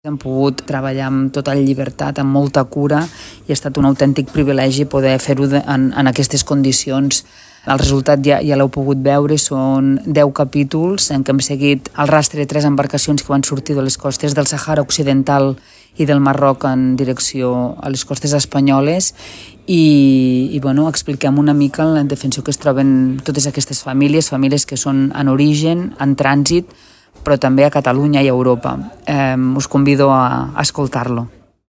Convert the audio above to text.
Hem pogut treballar amb tota llibertat, amb molta cura, i ha estat un autèntic privilegi poder fer-ho en aquestes condicions. El resultat ja l'heu pogut veure, són 10 capítols en què hem seguit el rastre de 3 embarcacions que van sortir de les costes del Sàhara Occidental i del Marroc en direcció a les costes espanyoles i expliquem una mica la indefensió que es troben totes aquestes famílies que són en origen, en trànsit, però també a Catalunya i a Europa. Us convido a escoltar-lo.